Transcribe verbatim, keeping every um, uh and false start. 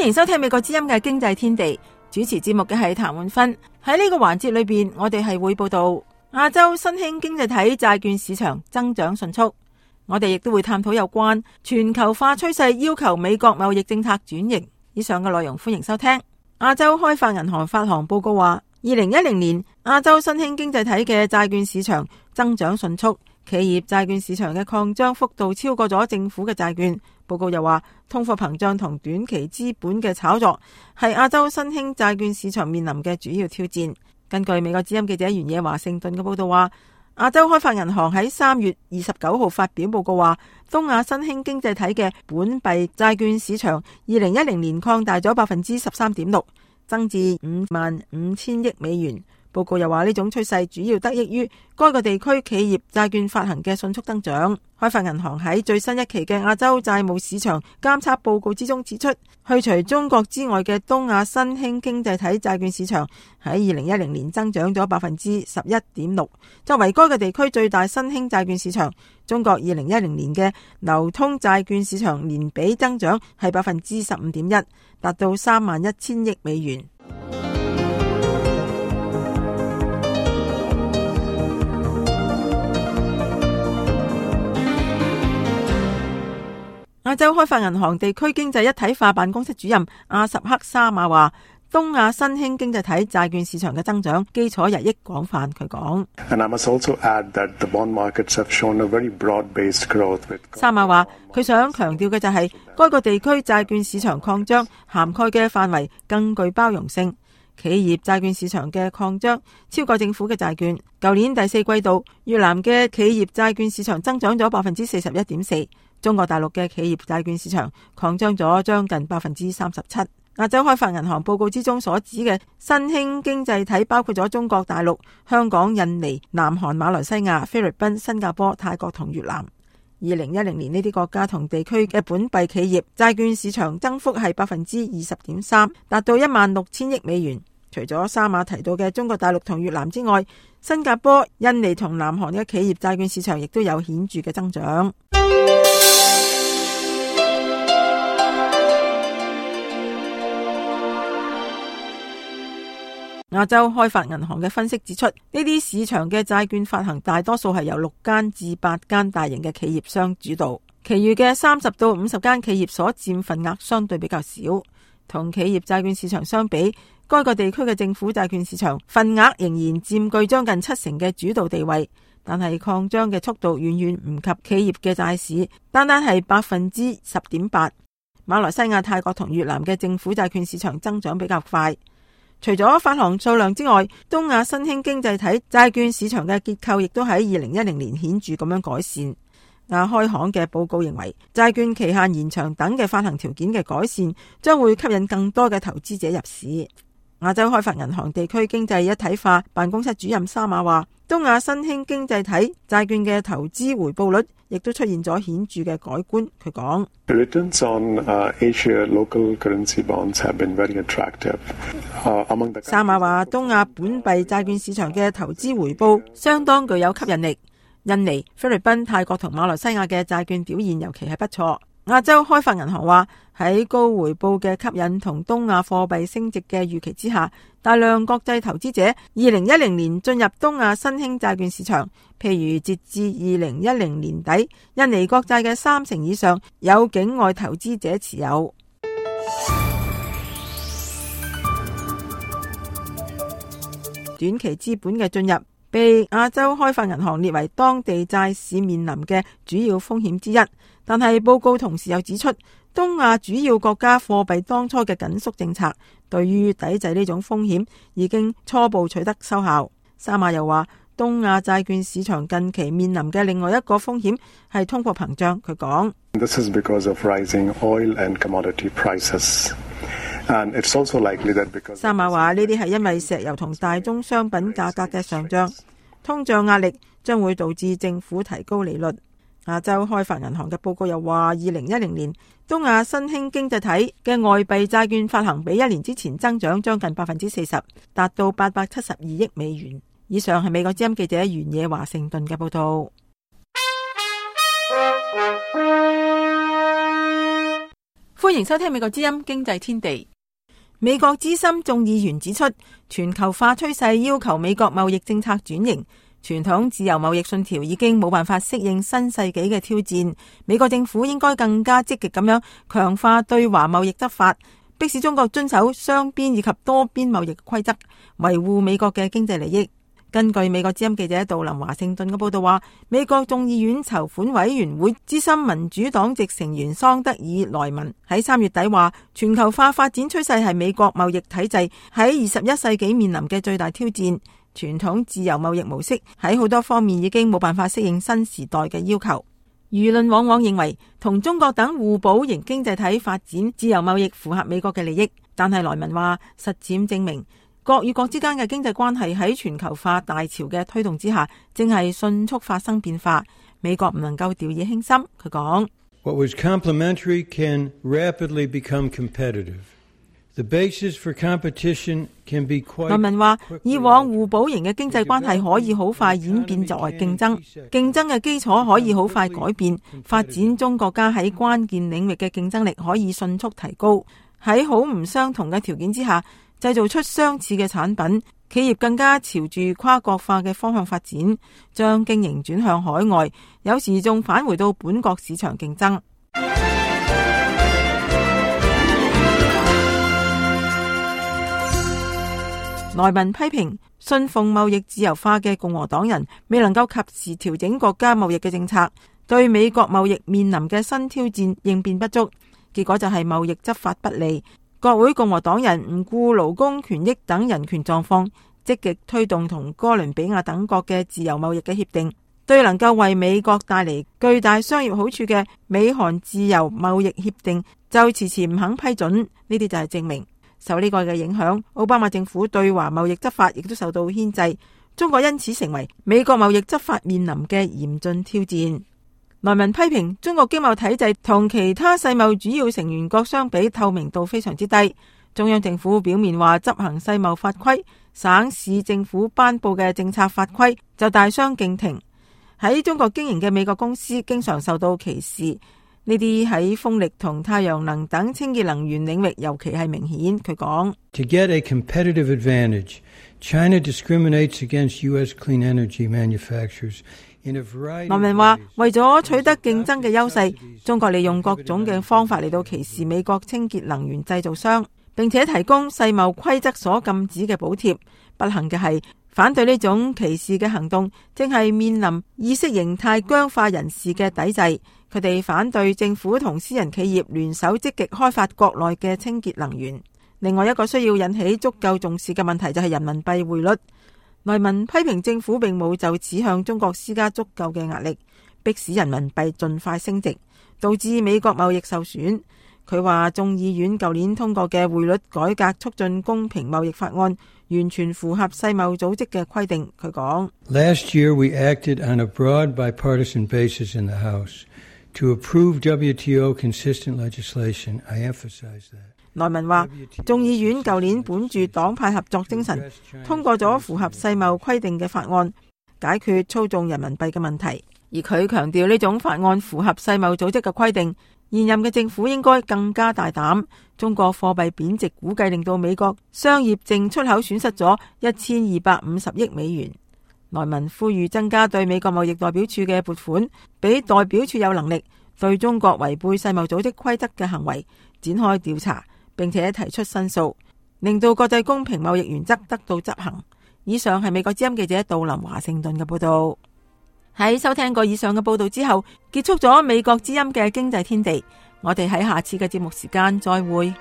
歡迎收聽美國之音嘅經濟天地，主持節目嘅係譚煥芬。喺呢個環節裏邊，我哋係會報道亞洲新興經濟體債券市場增長迅速。我哋亦都會探討有關全球化趨勢要求美國貿易政策轉型。以上嘅內容歡迎收聽。亞洲開發銀行發行報告話，二零一零年亞洲新興經濟體嘅債券市場增長迅速，企業債券市場嘅擴張幅度超過咗政府嘅債券。報告又話，通貨膨脹同短期資本嘅炒作係亞洲新興債券市場面臨嘅主要挑戰。根據美國之音記者原野華盛頓嘅報道話，亞洲開發銀行喺三月二十九號發表報告話，東亞新興經濟體嘅本幣債券市場二零一零年擴大咗百分之十三點六，增至五萬五千億美元。報告又話，呢種趨勢主要得益於該個地區企業債券發行嘅迅速增長。開發銀行喺最新一期嘅亞洲債務市場監測報告之中指出，去除中國之外嘅東亞新興經濟體債券市場喺二零一零年增長咗百分之十一點六。作為該個地區最大新興債券市場，中國二零一零年嘅流通債券市場年比增長係百分之十五點一，達到三萬一千億美元。亞洲開發銀行地區經濟一體化辦公室主任阿什克沙馬話，東亞新興經濟體債券市場嘅增長基礎日益廣泛。佢講，沙馬話佢想強調嘅就係、是，該個地區債券市場擴張涵蓋嘅範圍更具包容性。企業債券市場嘅擴張超過政府嘅債券。舊年第四季度，越南嘅企業債券市場增長咗百分之四十一點四。中國大陸嘅企業債券市場擴張咗將近百分之三十七。亞洲開發銀行報告之中所指嘅新興經濟體包括咗中國大陸、香港、印尼、南韓、馬來西亞、菲律賓、新加坡、泰國同越南。二零一零年呢啲國家同地區嘅本幣企業債券市場增幅係百分之二十點三，達到一萬六千億美元。除咗沙馬提到嘅中國大陸同越南之外，新加坡、印尼同南韓嘅企業債券市場亦都有顯著嘅增長。亞洲開發銀行嘅分析指出，呢啲市場嘅債券發行大多數係由六間至八間大型嘅企業商主導，其餘嘅三十到五十間企業所佔份額相對比較少。同企業債券市場相比，該個地區嘅政府債券市場份額仍然佔據將近七成嘅主導地位，但係擴張嘅速度遠遠唔及企業嘅債市，單單係百分之十點八。馬來西亞、泰國同越南嘅政府債券市場增長比較快。除咗發行數量之外，東亞新興經濟體債券市場嘅結構亦都喺二零一零年顯著咁樣改善。亞開行嘅報告認為，債券期限延長等嘅發行條件嘅改善，將會吸引更多嘅投資者入市。亞洲開發銀行地區經濟一體化辦公室主任沙馬話，東亞新興經濟體債券嘅投資回報率亦都出現咗顯著嘅改觀。佢講，沙馬話，東亞本幣債券市場嘅投資回報相當具有吸引力。印尼、菲律賓、泰國同馬來西亞嘅債券表現尤其係不錯。亞洲開發銀行話，喺高回報嘅吸引同東亞貨幣升值嘅預期之下，大量國際投資者二零一零年進入東亞新興債券市場。譬如截至二零一零年底，印尼國債嘅三成以上有境外投資者持有。短期資本嘅進入被亞洲開發銀行列為當地債市面臨嘅主要風險之一，但係報告同時又指出，東亞主要國家貨幣當初嘅緊縮政策對於抵制呢種風險已經初步取得收效。沙馬又話，東亞債券市場近期面臨嘅另外一個風險係通貨膨脹。佢講， This is because of rising oil and commodity prices. And it's also likely that because 沙馬話，呢啲係因為石油同大宗商品價格嘅上漲，通脹壓力將會導致政府提高利率。亞洲開發銀行嘅報告又話，二零一零年東亞新興經濟體嘅外幣債券發行比一年之前增長將近百分之四十，達到八百七十二億美元。以上係美國之音記者原野華盛頓嘅報道。歡迎收聽美國之音經濟天地。美國資深眾議員指出，全球化趨勢要求美國貿易政策轉型，傳統自由貿易信條已經冇辦法適應新世紀嘅挑戰。美國政府應該更加積極咁樣強化對華貿易執法，迫使中國遵守雙邊以及多邊貿易規則，維護美國嘅經濟利益。根據美國之音記者杜林華盛頓嘅報道話，美國眾議院籌款委員會資深民主黨籍成員桑德爾萊文喺三月底話，全球化發展趨勢係美國貿易體制喺二十一世紀面臨嘅最大挑戰。傳統自由貿易模式喺好多方面已經冇辦法適應新時代嘅要求。輿論往往認為同中國等互補型經濟體發展自由貿易符合美國嘅利益，但係萊文話，實踐證明國與國之間嘅經濟關係喺全球化大潮嘅推動之下，正係迅速發生變化。美國唔能夠掉以輕心。佢講：What was complementary can rapidly become competitive. The basis for competition can be quite. 萊文話：以往互補型嘅經濟關係可以好快演變作為競爭，競爭嘅基礎可以好快改變，發展中國家喺關鍵領域嘅競爭力可以迅速提高。喺好唔相同嘅條件之下，製造出相似嘅產品，企業更加朝住跨國化嘅方向發展，將經營轉向海外，有時仲返回到本國市場競爭。萊文批評信奉貿易自由化嘅共和黨人未能夠及時調整國家貿易嘅政策，對美國貿易面臨嘅新挑戰應變不足，結果就係貿易執法不利。國會共和黨人唔顧勞工權益等人權狀況，積極推動同哥倫比亞等國嘅自由貿易嘅協定，對能夠為美國帶嚟巨大商業好處嘅美韓自由貿易協定就遲遲唔肯批准。呢啲就係證明受呢個嘅影響，奧巴馬政府對華貿易執法亦都受到牽制，中國因此成為美國貿易執法面臨嘅嚴峻挑戰。萊文批評中國經貿體制同其他世貿主要成員國相比，透明度非常之低。中央政府表面話執行世貿法規，省市政府頒布嘅政策法規就大相徑庭。喺中國經營嘅美國公司經常受到歧視，呢啲喺風力同太陽能等清潔能源領域尤其係明顯。佢講：To get a competitive advantage, China discriminates against U S clean energy manufacturers.萊文話：為咗取得競爭嘅優勢，中國利用各種嘅方法嚟到歧視美國清潔能源製造商，並且提供世貿規則所禁止嘅補貼。不幸嘅係，反對呢種歧視嘅行動，正係面臨意識形態僵化人士嘅抵制。佢哋反對政府同私人企業聯手積極開發國內嘅清潔能源。另外一個需要引起足夠重視嘅問題就係人民幣匯率。萊文批評政府並冇就此向中國施加足夠嘅壓力，迫使人民幣盡快升值，導致美國貿易受損。佢話眾議院舊年通過嘅匯率改革促進公平貿易法案，完全符合世貿組織嘅規定。佢講：Last year we acted on a broad bipartisan basis in the House to approve W T O consistent legislation. I emphasize that.萊文話，眾議院舊年本住黨派合作精神，通過咗符合世貿規定嘅法案，解決操縱人民幣嘅問題。而佢強調呢種法案符合世貿組織嘅規定，現任嘅政府應該更加大膽。中國貨幣貶值估計令到美國商業淨出口損失咗一千二百五十億美元。萊文呼籲增加對美國貿易代表處嘅撥款，俾代表處有能力對中國違背世貿組織規則嘅行為展開調查，並且提出申訴，令到國際公平貿易原則得到執行。以上係美國之音記者杜林華盛頓嘅報道。喺收聽過以上嘅報道之後，結束咗美國之音嘅經濟天地。我哋喺下次嘅節目時間再會。